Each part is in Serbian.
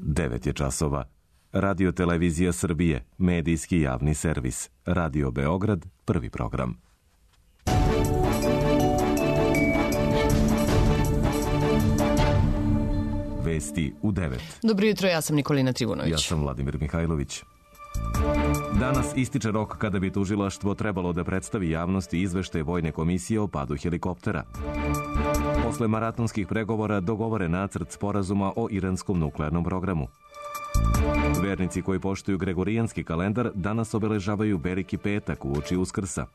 9 je časova. Radio Televizija Srbije, medijski javni servis. Radio Beograd, prvi program. Vesti u 9. Dobro jutro, ja sam Nikolina Trivunović. Ja sam Vladimir Mihajlović. Danas ističe rok kada bi tužilaštvo trebalo da predstavi javnosti izveštaj Vojne komisije o padu helikoptera. Posle maratonskih pregovora dogovore nacrt sporazuma o iranskom nuklearnom programu. Vernici koji poštuju gregorijanski kalendar danas obeležavaju Veliki petak uoči Uskrsa.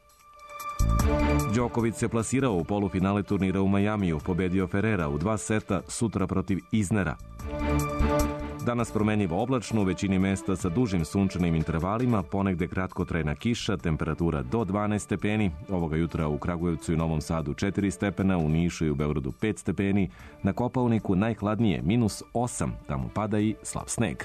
Đoković se plasirao u polufinale turnira u Majamiju, pobedio Ferrera u 2 seta, sutra protiv Iznera. Danas promenjivo oblačno, u većini mesta sa dužim sunčanim intervalima, ponegde kratkotrajna kiša, temperatura do 12 stepeni, ovoga jutra u Kragujevcu i Novom Sadu 4 stepena, u Nišu i u Beogradu 5 stepeni, na Kopaoniku najhladnije -8, tamo pada i slab sneg.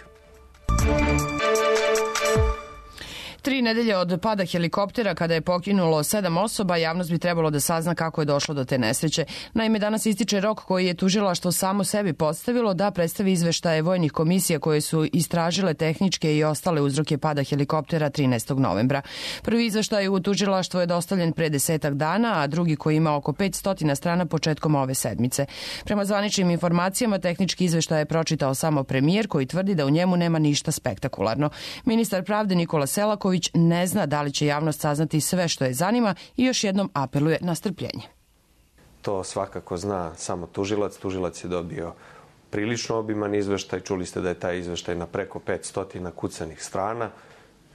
3 nedelje od pada helikoptera, kada je poginulo 7 osoba, javnost bi trebalo da sazna kako je došlo do te nesreće. Naime, danas ističe rok koji je tužilaštvo samo sebi postavilo da predstavi izveštaje vojnih komisija koje su istražile tehničke i ostale uzroke pada helikoptera 13. novembra. Prvi izveštaj u tužilaštvo je dostavljen pre 10 dana, a drugi koji ima oko 500 strana početkom ove sedmice. Prema zvaničnim informacijama, tehnički izveštaj je pročitao samo premijer koji tvrdi da u njemu nema ništa spektakularno. Ministar pravde Nikola Selaković ne zna da li će javnost saznati sve što je zanima i još jednom apeluje na strpljenje. To svakako zna samo tužilac. Tužilac je dobio prilično obiman izveštaj. Čuli ste da je taj izveštaj na preko 500 kucanih strana.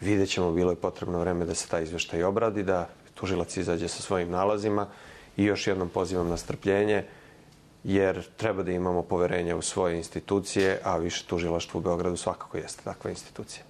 Vidjet ćemo, bilo je potrebno vreme da se taj izveštaj obradi, da tužilac izađe sa svojim nalazima i još jednom pozivam na strpljenje, jer treba da imamo poverenja u svoje institucije, a više tužilaštvo u Beogradu svakako jeste takva institucija.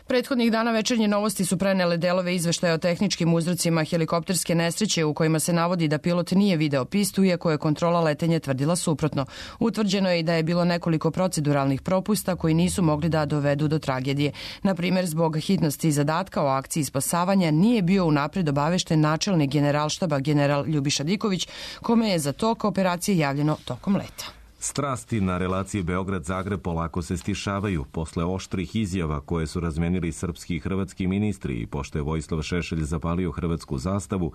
Prethodnih dana Večernje novosti su prenele delove izveštaja o tehničkim uzrocima helikopterske nesreće u kojima se navodi da pilot nije video pistu, iako je kontrola letenja tvrdila suprotno. Utvrđeno je i da je bilo nekoliko proceduralnih propusta koji nisu mogli da dovedu do tragedije. Na primjer, zbog hitnosti zadatka o akciji spasavanja nije bio unapred obavešten načelnik Generalštaba general Ljubiša Diković, kome je za tok operacije javljeno tokom leta. Strasti na relaciji Beograd-Zagreb polako se stišavaju posle oštrih izjava koje su razmenili srpski i hrvatski ministri i pošto je Vojislav Šešelj zapalio hrvatsku zastavu,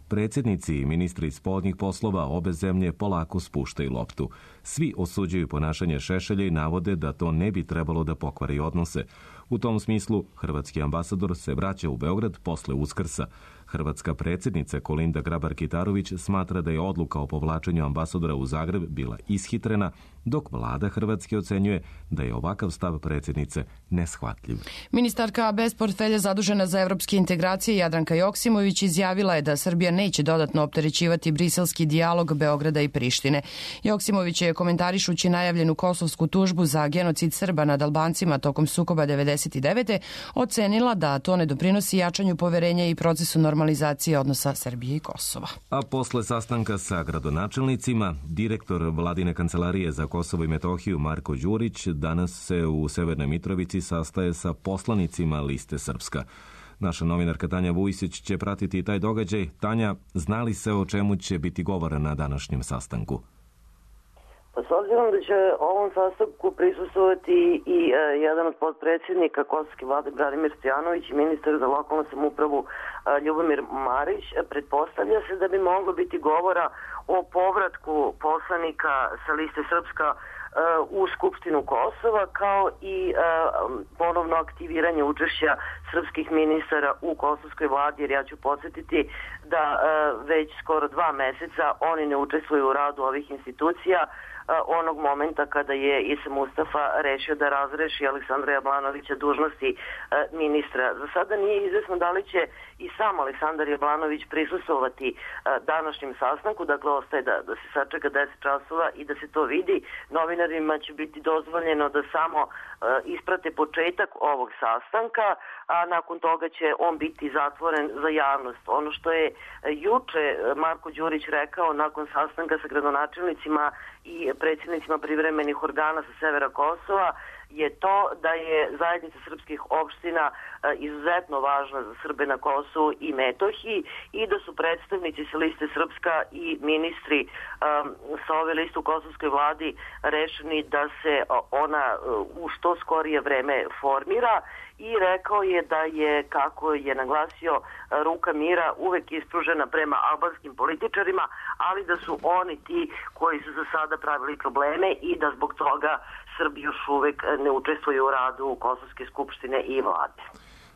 predsjednici i ministri spoljnih poslova obe zemlje polako spuštaju loptu. Svi osuđuju ponašanje Šešelja i navode da to ne bi trebalo da pokvari odnose. U tom smislu, hrvatski ambasador se vraća u Beograd posle Uskrsa. Hrvatska predsjednica Kolinda Grabar-Kitarović smatra da je odluka o povlačenju ambasadora u Zagreb bila ishitrena, dok vlada Hrvatske ocenjuje da je ovakav stav predsjednice neshvatljiv. Ministarka bez portfelja zadužena za evropske integracije Jadranka Joksimović izjavila je da Srbija neće dodatno opterećivati briselski dijalog Beograda i Prištine. Joksimović je komentarišući najavljenu kosovsku tužbu za genocid Srba nad Albancima tokom sukoba 1999. ocenila da to ne doprinosi jačanju poverenja i procesu normalizacije odnosa Srbije i Kosova. A posle sastanka sa gradonačelnicima, direktor vladine kancelarije za Kosovo i Metohiju Marko Đurić danas se u Severnoj Mitrovici sastaje sa poslanicima Liste Srpska. Naša novinarka Tanja Vujsić će pratiti taj događaj. Tanja, zna li se o čemu će biti govora na današnjem sastanku? Pa s obzirom da će ovom sastanku prisustvovati i jedan od podpredsjednika kosovske vlade Branimir Stojanović i ministar za lokalnu samoupravu Ljubomir Marić, pretpostavlja se da bi moglo biti govora o povratku poslanika sa Liste Srpska u Skupštinu Kosova, kao i ponovno aktiviranje učešća srpskih ministara u kosovskoj vladi, jer ja ću podsjetiti da već skoro 2 meseca oni ne učestvuju u radu ovih institucija, onog momenta kada je Isa Mustafa rešio da razreši Aleksandra Jablanovića dužnosti ministra. Za sada nije izvesno da li će i sam Aleksandar Jablanović prisustvovati današnjem sastanku, dakle ostaje da se sačeka 10 časova i da se to vidi. Novinarima će biti dozvoljeno da samo isprate početak ovog sastanka, a nakon toga će on biti zatvoren za javnost. Ono što je juče Marko Đurić rekao nakon sastanka sa gradonačelnicima i predsjednicima privremenih organa sa severa Kosova je to da je zajednica srpskih opština izuzetno važna za Srbe na Kosovu i Metohiji i da su predstavnici sa liste Srpska i ministri sa ove liste u kosovskoj vladi rešeni da se ona u što skorije vreme formira i rekao je da je, kako je naglasio, ruka mira uvek ispružena prema albanskim političarima, ali da su oni ti koji su za sada pravili probleme i da zbog toga Srbi još uvek ne učestvuju u radu Kosovske skupštine i vlade.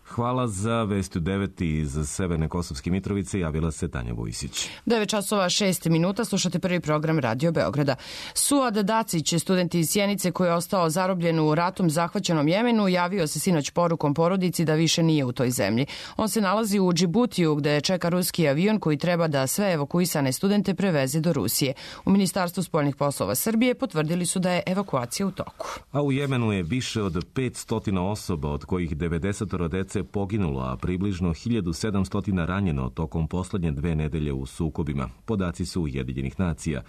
Hvala za vesti u 9 iz Severne Kosovske Mitrovice. Javila se Tanja Vujsić. 9:06 slušate prvi program Radio Beograda. Suad Dacić, student iz Sjenice koji je ostao zarobljen u ratom zahvaćenom Jemenu, javio se sinoć porukom porodici da više nije u toj zemlji. On se nalazi u Džibutiju gde čeka ruski avion koji treba da sve evakuisane studente preveze do Rusije. U Ministarstvu spoljnih poslova Srbije potvrdili su da je evakuacija u toku. A u Jemenu je više od 500 osoba, od kojih 90 dece poginulo, a približno 1700 ranjeno tokom poslednje 2 nedelje u sukobima. Podaci su Ujedinjenih nacija.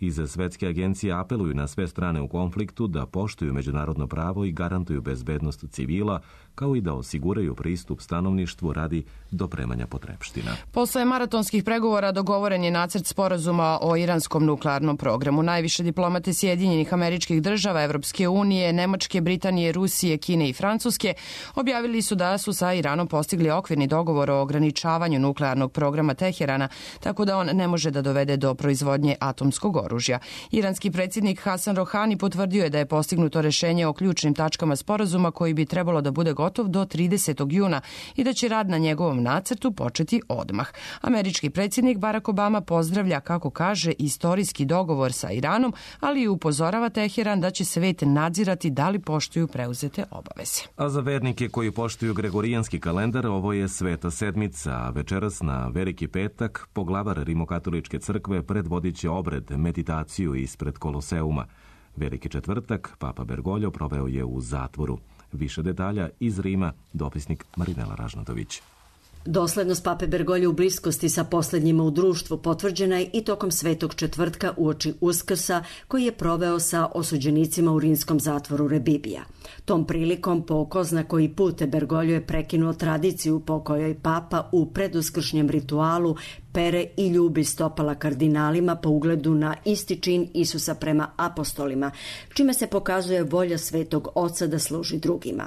Iz Svetske agencije apeluju na sve strane u konfliktu da poštuju međunarodno pravo i garantuju bezbednost civila, kao i da osiguraju pristup stanovništvu radi dopremanja potrepština. Posle maratonskih pregovora dogovoren je nacrt sporazuma o iranskom nuklearnom programu. Najviše diplomate Sjedinjenih Američkih Država, Evropske unije, Nemačke, Britanije, Rusije, Kine i Francuske objavili su da su sa Iranom postigli okvirni dogovor o ograničavanju nuklearnog programa Teherana, tako da on ne može da dovede do proizvodnje atomskog oružja. Iranski predsjednik Hasan Rohani potvrdio je da je postignuto rešenje o ključnim tačkama sporazuma koji bi trebalo da bude gotov do 30. juna i da će rad na njegovom nacrtu početi odmah. Američki predsjednik Barack Obama pozdravlja, kako kaže, istorijski dogovor sa Iranom, ali i upozorava Teheran da će svet nadzirati da li poštuju preuzete obaveze. A za vernike koji poštuju gregorijanski kalendar, ovo je Sveta sedmica, a večeras na Veliki petak poglavar Rimokatoličke crkve predvodit će obred, meditaciju ispred Koloseuma. Veliki četvrtak Papa Bergoglio proveo je u zatvoru. Više detalja iz Rima, dopisnik Marinela Ražnatović. Doslednost Pape Bergoglio u bliskosti sa posljednjima u društvu potvrđena je i tokom Svetog četvrtka uoči Uskrsa koji je proveo sa osuđenicima u rimskom zatvoru Rebibija. Tom prilikom po ko zna koji put Bergoglio je prekinuo tradiciju po kojoj Papa u preduskršnjem ritualu pere i ljubi stopala kardinalima po ugledu na isti čin Isusa prema apostolima, čime se pokazuje volja Svetog Oca da služi drugima.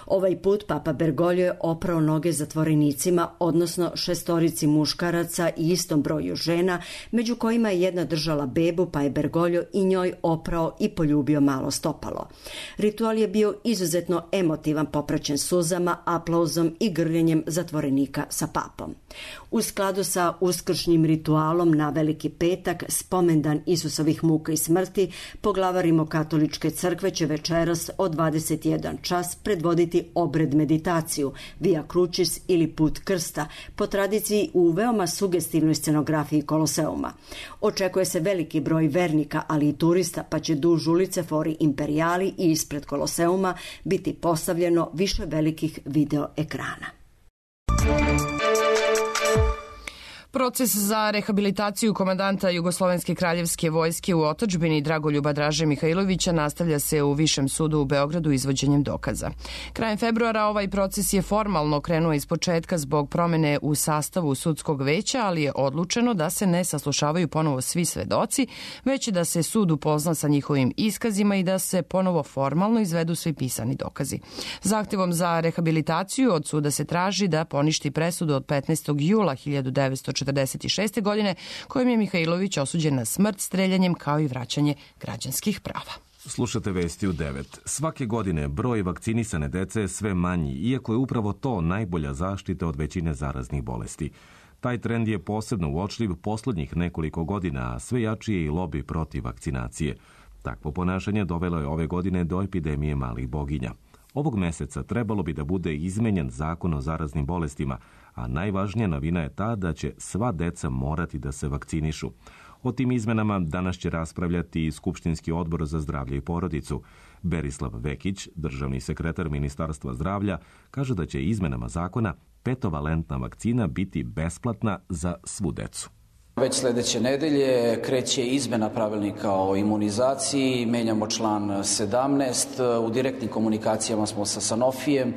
Ovaj put Papa Bergoglio je oprao noge zatvorenicima, odnosno 6 muškaraca i istom broju žena, među kojima je jedna držala bebu, pa je Bergoglio i njoj oprao i poljubio malo stopalo. Ritual je bio izuzetno emotivan, popraćen suzama, aplauzom i grljenjem zatvorenika sa papom. U skladu sa uskršnjim ritualom na Veliki petak, spomendan Isusovih muka i smrti, poglavar Rimokatoličke crkve će večeras od 21 čas predvoditi obred meditaciju, Via Crucis ili put krsta, po tradiciji u veoma sugestivnoj scenografiji Koloseuma. Očekuje se veliki broj vernika, ali i turista, pa će duž ulice Fori Imperiali i ispred Koloseuma biti postavljeno više velikih video ekrana. Proces za rehabilitaciju komandanta Jugoslovenske kraljevske vojske u otadžbini Dragoljuba Draže Mihajlovića nastavlja se u Višem sudu u Beogradu izvođenjem dokaza. Krajem februara ovaj proces je formalno krenuo iz početka zbog promene u sastavu sudskog veća, ali je odlučeno da se ne saslušavaju ponovo svi svedoci, već da se sud upozna sa njihovim iskazima i da se ponovo formalno izvedu svi pisani dokazi. Zahtevom za rehabilitaciju od suda se traži da poništi presudu od 15. jula 1946. godine kojim je Mihajlović osuđen na smrt streljanjem kao i vraćanje građanskih prava. Slušate vesti u 9. Svake godine broj vakcinisane dece je sve manji, iako je upravo to najbolja zaštita od većine zaraznih bolesti. Taj trend je posebno uočljiv poslednjih nekoliko godina, a sve jači je i lobi protiv vakcinacije. Takvo ponašanje dovelo je ove godine do epidemije malih boginja. Ovog meseca trebalo bi da bude izmenjen zakon o zaraznim bolestima, a najvažnija novina je ta da će sva deca morati da se vakcinišu. O tim izmenama danas će raspravljati i Skupštinski odbor za zdravlje i porodicu. Berislav Vekić, državni sekretar Ministarstva zdravlja, kaže da će izmenama zakona 5-valentna vakcina biti besplatna za svu decu. Već sledeće nedelje kreće izmena pravilnika o imunizaciji, menjamo član 17, u direktnim komunikacijama smo sa Sanofijem,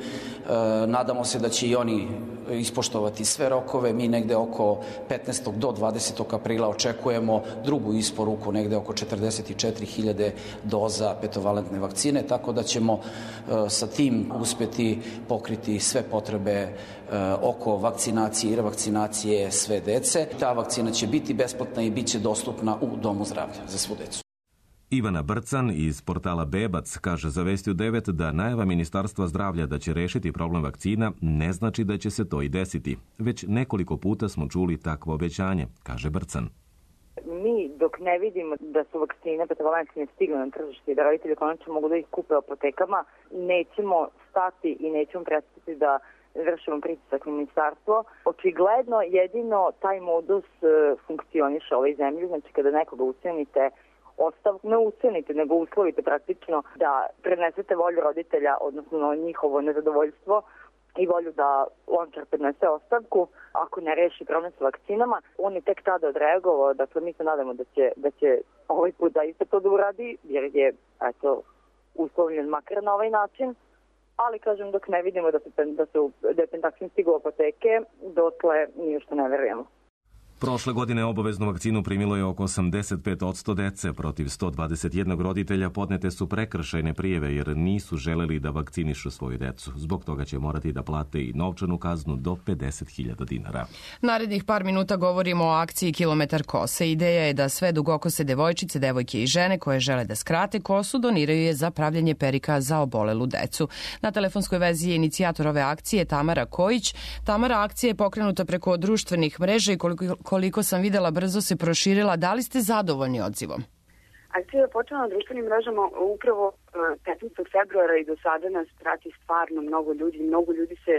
nadamo se da će i oni ispoštovati sve rokove. Mi negde oko 15. do 20. aprila očekujemo drugu isporuku, negde oko 44.000 doza petovalentne vakcine, tako da ćemo sa tim uspeti pokriti sve potrebe oko vakcinacije i revakcinacije sve dece. Ta vakcina će biti besplatna i bit će dostupna u Domu zdravlja za svu decu. Ivana Brcan iz portala Bebac kaže za Vesti u 9 da najava Ministarstva zdravlja da će rešiti problem vakcina ne znači da će se to i desiti. Već nekoliko puta smo čuli takvo obećanje, kaže Brcan. Mi dok ne vidimo da su vakcine petovalentne stigle na tržište i da roditelji konačno mogu da ih kupe u apotekama, nećemo stati i nećemo prestati da vršimo pritisak na ministarstvo. Očigledno jedino taj modus funkcioniše u ovoj zemlji, znači kada nekoga ucenite, ne ucenite, nego uslovite praktično da prenesete volju roditelja, odnosno njihovo nezadovoljstvo i volju da Lončar prednese ostavku. Ako ne reši problem sa vakcinama, on je tek tada odreagovao. Dakle, mi se nadamo da će ovaj put da isto to da uradi, jer je uslovljen makar na ovaj način. Ali, kažem, dok ne vidimo da je Pentaksin stigao u apoteke, dotle ništa ne verujemo. Prošle godine obaveznu vakcinu primilo je oko 85% dece. Protiv 121 roditelja podnete su prekršajne prijave jer nisu želeli da vakcinišu svoju decu. Zbog toga će morati da plate i novčanu kaznu do 50.000 dinara. Narednih par minuta govorimo o akciji Kilometar kose. Ideja je da sve dugokose devojčice, devojke i žene koje žele da skrate kosu doniraju je za pravljenje perika za obolelu decu. Na telefonskoj vezi je inicijator ove akcije Tamara Kojić. Tamara, akcija je pokrenuta preko društvenih mreža i koliko sam videla brzo se proširila. Da li ste zadovoljni odzivom? Akcija je počela na društvenim mrežama upravo 15. februara i do sada nas prati stvarno mnogo ljudi. Mnogo ljudi se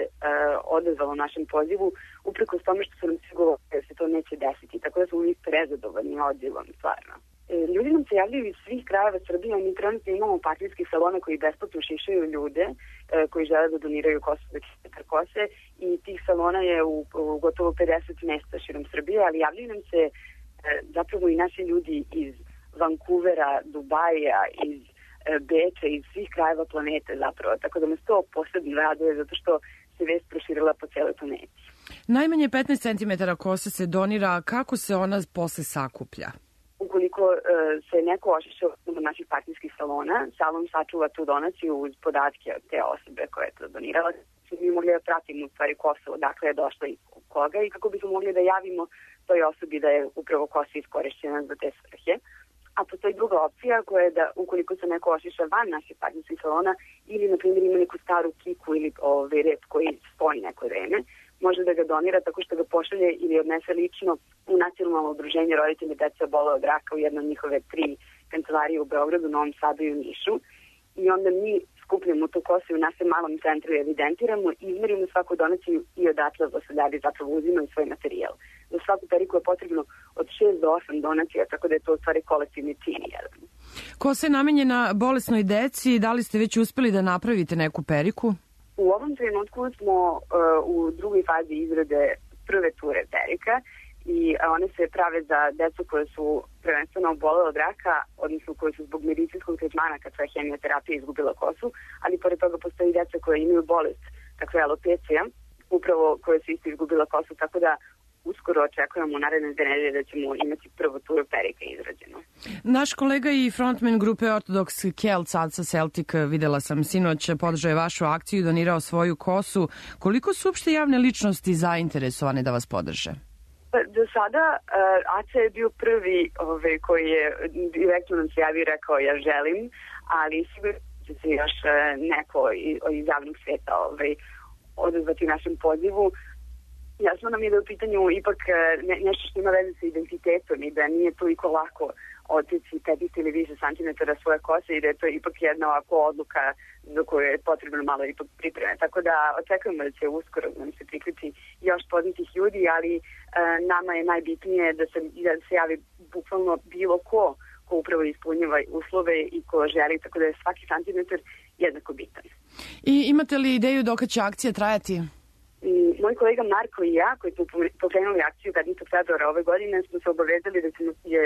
odazvalo našem pozivu uprkos tome što su nam svi govorili da se to neće desiti. Tako da smo mi prezadovoljni odzivom, stvarno. Ljudi nam se javljaju iz svih krajeva Srbije. Mi trenutno imamo partijskih salona koji besplatno šišaju ljude koji žele da doniraju kosu za kilometar kose i tih salona je u gotovo 50 mesta širom Srbije, ali javljaju nam se zapravo i naši ljudi iz Vancouvera, Dubaja, iz Beča, iz svih krajeva planete zapravo. Tako da nas to posebno raduje zato što se vest proširila po celoj planeti. Najmanje 15 cm kose se donira. Kako se ona posle sakuplja? Ukoliko se neko ošiša od naših partijskih salona, salon sačuva tu donaciju uz podatke od te osobe koja je to donirala. Mi mogli da pratimo u stvari kosu, odakle je došla i koga i kako bismo mogli da javimo toj osobi da je upravo kosa iskorišćena za te svrhe. A postoji druga opcija koja je da ukoliko se neko ošiša van naših partijskih salona ili, na primjer, ima neku staru kiku ili rep koji stoji neko vreme, može da ga donira tako što ga pošalje ili odnese lično u Nacionalno udruženje roditelja dece obolele od raka u jednom njihove 3 kancelarije u Beogradu, Novom Sadu i u Nišu. I onda mi skupljamo tu kosu u našem malom centru i evidentiramo, izmerimo svaku donaciju i odatle osadavi zapravo uzimaju svoj materijal. Za svaku periku je potrebno od 6 do 8 donacija, tako da je to u stvari kolektivni čin jedan. Kosa je namenjena bolesnoj deci. Da li ste već uspeli da napravite neku periku? U ovom trenutku smo u drugoj fazi izrade prve ture perika i one se prave za decu koje su prvenstveno obolele od raka, odnosno koje su zbog medicinskog tretmana kad sva hemioterapija izgubila kosu, ali pored toga postoji deca koje imaju bolest, takve alopecija, upravo koje su isto izgubila kosu, tako da uskoro očekujemo u naredne 2 nedelje da ćemo imati prvu turu perika izrađenu. Naš kolega i frontman grupe Ortodox Kelts, Aca Celtic, videla sam sinoć, podržao je vašu akciju i donirao svoju kosu. Koliko su uopšte javne ličnosti zainteresovane da vas podrže? Do sada Aca je bio prvi koji je direktno nam se javio i rekao ja želim, ali sigurno će se još neko iz javnog sveta odazvati našem pozivu. Jasno nam je da je u pitanju ipak nešto što ima veze sa identitetom i da nije toliko lako otići 15 ili više santimetara svoje kose i da je to ipak jedna ovako odluka za koju je potrebno malo ipak pripreme. Tako da očekujemo da će uskoro nam se priključi još poznatih ljudi, ali nama je najbitnije da se javi bukvalno bilo ko upravo ispunjava uslove i ko želi, tako da je svaki santimetar jednako bitan. I imate li ideju dok će akcija trajati? Moj kolega Marko i ja, koji smo pokrenuli akciju 15. februara ove godine, smo se obavezali da ćemo je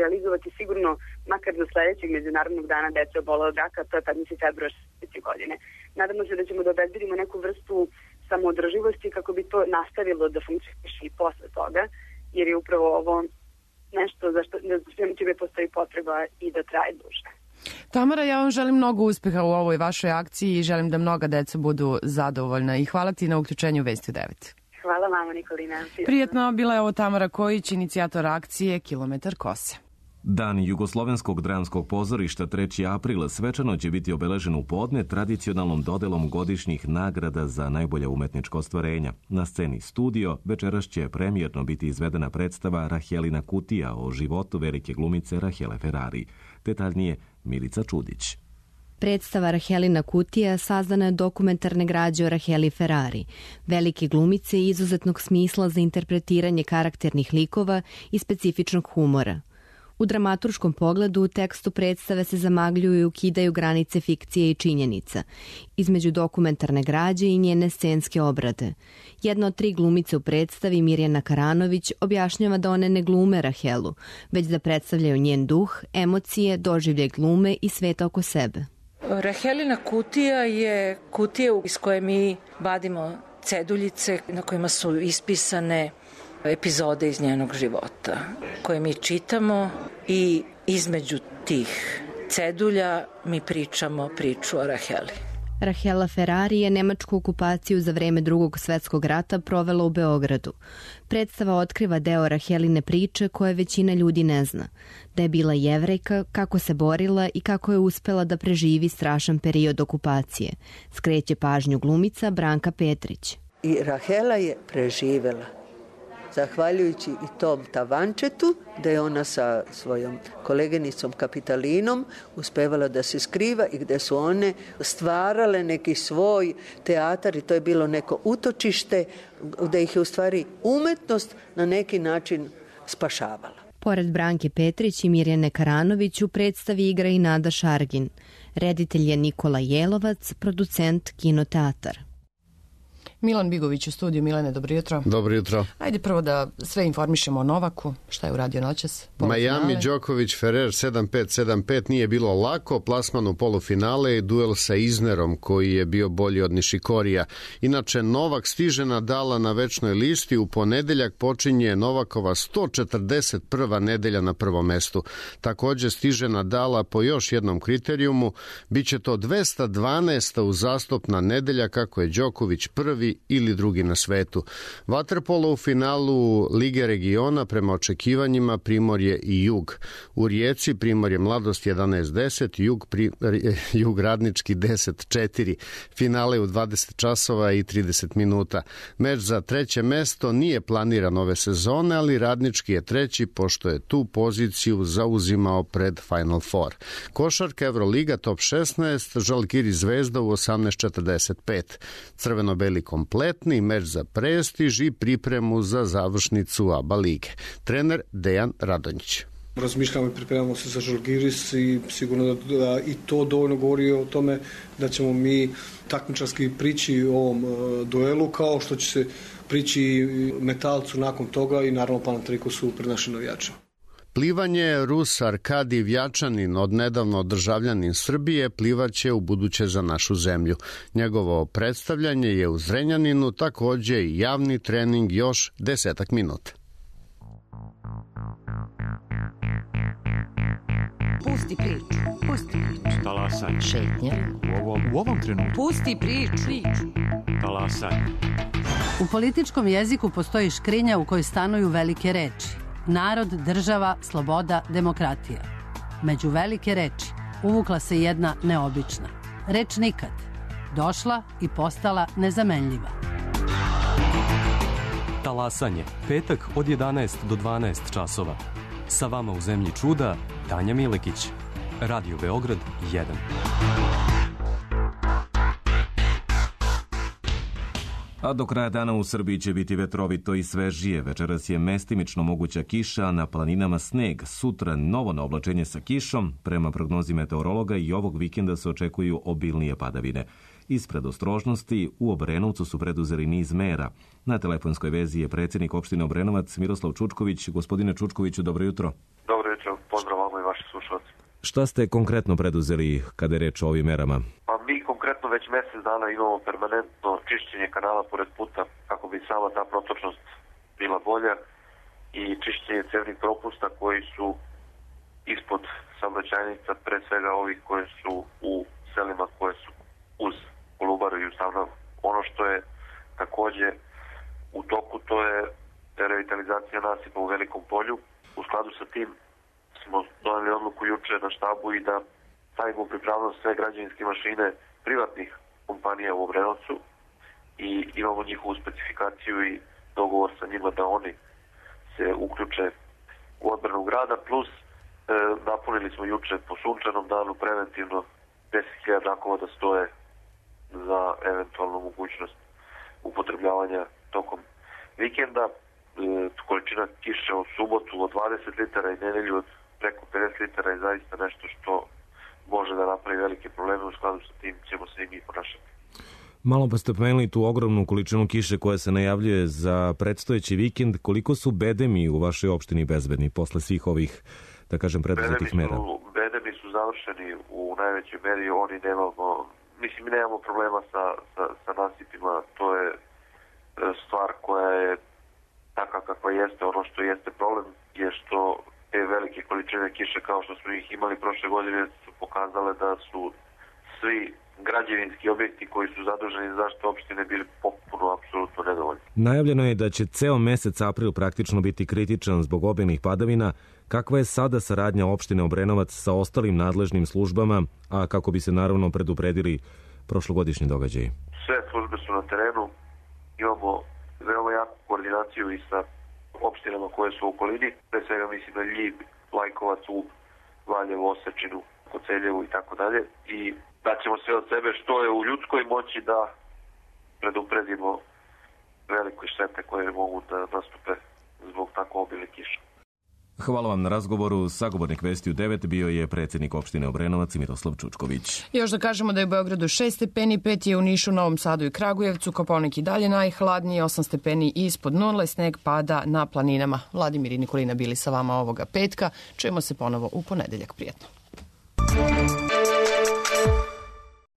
realizovati sigurno makar do sledećeg Međunarodnog dana dece obolele od raka, to je 15. februar 2020. godine. Nadamo se da ćemo da obezbedimo neku vrstu samoodrživosti kako bi to nastavilo da funkcioniše i posle toga, jer je upravo ovo nešto za što čime postoji potreba i da traje duže. Tamara, ja vam želim mnogo uspeha u ovoj vašoj akciji i želim da mnoga deca budu zadovoljna i hvala ti na uključenju Vesti u 9. Hvala vama, Nikolina. Prijetno, bila je ovo Tamara Kojić, inicijator akcije Kilometar kose. Dan Jugoslovenskog dramskog pozorišta 3. aprila svečano će biti obeležen u podne tradicionalnom dodelom godišnjih nagrada za najbolja umetnička ostvarenja. Na sceni Studio večeras će premijerno biti izvedena predstava Rahelina kutija o životu velike glumice Rahele Ferrari. Detaljnije Milica Čudić. Predstava Rahelina kutija sazdana je dokumentarne građe o Raheli Ferrari, velike glumice i izuzetnog smisla za interpretiranje karakternih likova i specifičnog humora. U dramaturškom pogledu u tekstu predstave se zamagljuju i ukidaju granice fikcije i činjenica, između dokumentarne građe i njene scenske obrade. Jedna od 3 glumice u predstavi, Mirjana Karanović, objašnjava da one ne glume Rahelu, već da predstavljaju njen duh, emocije, doživljaj glume i sveta oko sebe. Rahelina kutija je kutija iz koje mi vadimo ceduljice na kojima su ispisane epizode iz njenog života koje mi čitamo i između tih cedulja mi pričamo priču o Raheli. Rahela Ferrari je nemačku okupaciju za vreme Drugog svetskog rata provela u Beogradu. Predstava otkriva deo Raheline priče koje većina ljudi ne zna. Da je bila Jevrejka, kako se borila i kako je uspela da preživi strašan period okupacije. Skreće pažnju glumica Branka Petrić. I Rahela je preživela. Zahvaljujući i tom tavančetu, da je ona sa svojom koleginicom Kapitalinom uspevala da se skriva i gde su one stvarale neki svoj teatar i to je bilo neko utočište da ih je u stvari umetnost na neki način spašavala. Pored Branke Petrić i Mirjane Karanović u predstavi igra i Nada Šargin. Reditelj je Nikola Jelovac, producent Kinoteatar. Milan Bigović u studiju. Milane, dobro jutro. Dobro jutro. Ajde prvo da sve informišemo o Novaku. Šta je uradio noćas? Miami, Đoković, Ferrer 7-5, nije bilo lako. Plasman u polufinale i duel sa Iznerom koji je bio bolji od Nišikorija. Inače, Novak stiže Nadala na večnoj listi. U ponedeljak počinje Novakova 141. nedelja na prvom mestu. Također stiže Nadala po još jednom kriterijumu. Biće to 212. uzastopna nedelja kako je Đoković prvi ili drugi na svetu. Vaterpolo u finalu Lige regiona prema očekivanjima Primorje i Jug. U Rijeci Primorje Mladost 11:10, Jug Radnički 10:4. Finale u 20 časova i 30 minuta. Meč za treće mesto nije planiran ove sezone, ali Radnički je treći pošto je tu poziciju zauzimao pred Final Four. Košarka Evroliga top 16, Žalgiris Zvezda u 18:45. Crveno-beli kompletni meč za prestiž i pripremu za završnicu ABA lige. Trener Dejan Radonjić. Razmišljamo i pripremamo se za Žalgiris i sigurno da i to dovoljno govori o tome da ćemo mi takmičarski prići ovom duelu kao što će se prići Metalcu nakon toga i naravno Panathinaikosu pred našim navijačima. Plivanje Rus Arkadi Vjačanin, odnedavno državljanin Srbije, plivaće u buduće za našu zemlju. Njegovo predstavljanje je u Zrenjaninu, također i javni trening još 10 minuta. Pusti priču. Talasaj. Šetnja. U ovom trenutku. Pusti priču. Talasaj. U političkom jeziku postoji škrinja u kojoj stanuju velike reči. Narod, država, sloboda, demokratija. Među velike reči uvukla se jedna neobična. Reč nikad. Došla i postala nezamenljiva. Talasanje. Petak od 11 do 12 časova. Sa vama u zemlji čuda, Tanja Milekić. Radio Beograd 1. A do kraja dana u Srbiji će biti vetrovito i svežije. Večeras je mestimično moguća kiša, a na planinama sneg. Sutra novo naoblačenje sa kišom. Prema prognozi meteorologa i ovog vikenda se očekuju obilnije padavine. Iz predostrožnosti u Obrenovcu su preduzeli niz mera. Na telefonskoj vezi je predsjednik opštine Obrenovac Miroslav Čučković. Gospodine Čučkoviću, dobro jutro. Dobro jutro, pozdrav vama i vaši slušalci. Šta ste konkretno preduzeli kada je reč o ovim merama? Pa mi konkretno već mjesec dana imamo permanentno čišćenje kanala pored puta kako bi sama ta protočnost bila bolja i čišćenje cevnih propusta koji su ispod saobraćajnica, pre svega ovih koje su u selima koje su uz Kolubaru i Ustavno. Ono što je takođe u toku, to je revitalizacija nasipa u Velikom polju. U skladu sa tim smo doneli odluku juče na štabu i da stavimo u pripravnost sve građevinske mašine privatnih kompanija u Obrenovcu i imamo njihovu specifikaciju i dogovor sa njima da oni se uključe u odbranu grada, plus napunili smo juče po sunčanom danu preventivno 10.000 rakova da stoje za eventualnu mogućnost upotrebljavanja tokom vikenda. Količina kiše u subotu od 20 litara i nedelju od preko 50 litara je zaista nešto što može da napravi velike probleme. U skladu sa tim ćemo se i mi ponašati. Malo pa ste pomenuli tu ogromnu količinu kiše koja se najavljuje za predstojeći vikend. Koliko su bedemi u vašoj opštini bezbedni posle svih ovih, da kažem, preduzetih mera? Bedemi su završeni u najvećoj meri. Oni mi nemamo problema sa nasipima. To je stvar koja je taka kakva jeste. Ono što jeste problem je što te velike količine kiše kao što smo ih imali prošle godine su pokazale da su svi građevinski objekti koji su zaduženi za zaštitu opštine bili potpuno apsolutno nedovoljni. Najavljeno je da će ceo mesec april praktično biti kritičan zbog obilnih padavina. Kakva je sada saradnja opštine Obrenovac sa ostalim nadležnim službama, a kako bi se naravno predupredili prošlogodišnji događaji? Sve službe su na terenu. Imamo veoma jaku koordinaciju i sa opštinama koje su u okolini. Pre svega mislim na Ljig, Lajkovac, Ub, Valjevo, Osečinu, Koceljevu i tako dalje. I daćemo sve od sebe što je u ljudskoj moći da predupredimo velike štete koje mogu da nastupe zbog tako obilne kiše. Hvala vam na razgovoru. Sagovornik Vesti u 9 bio je predsjednik opštine Obrenovac Miroslav Čučković. Još da kažemo da je u Beogradu 6 stepeni, 5 je u Nišu, Novom Sadu i Kragujevcu, Kopaonik i dalje najhladniji, 8 stepeni ispod nule, sneg pada na planinama. Vladimir i Nikolina bili sa vama ovoga petka. Čujemo se ponovo u ponedeljak. Prijetno.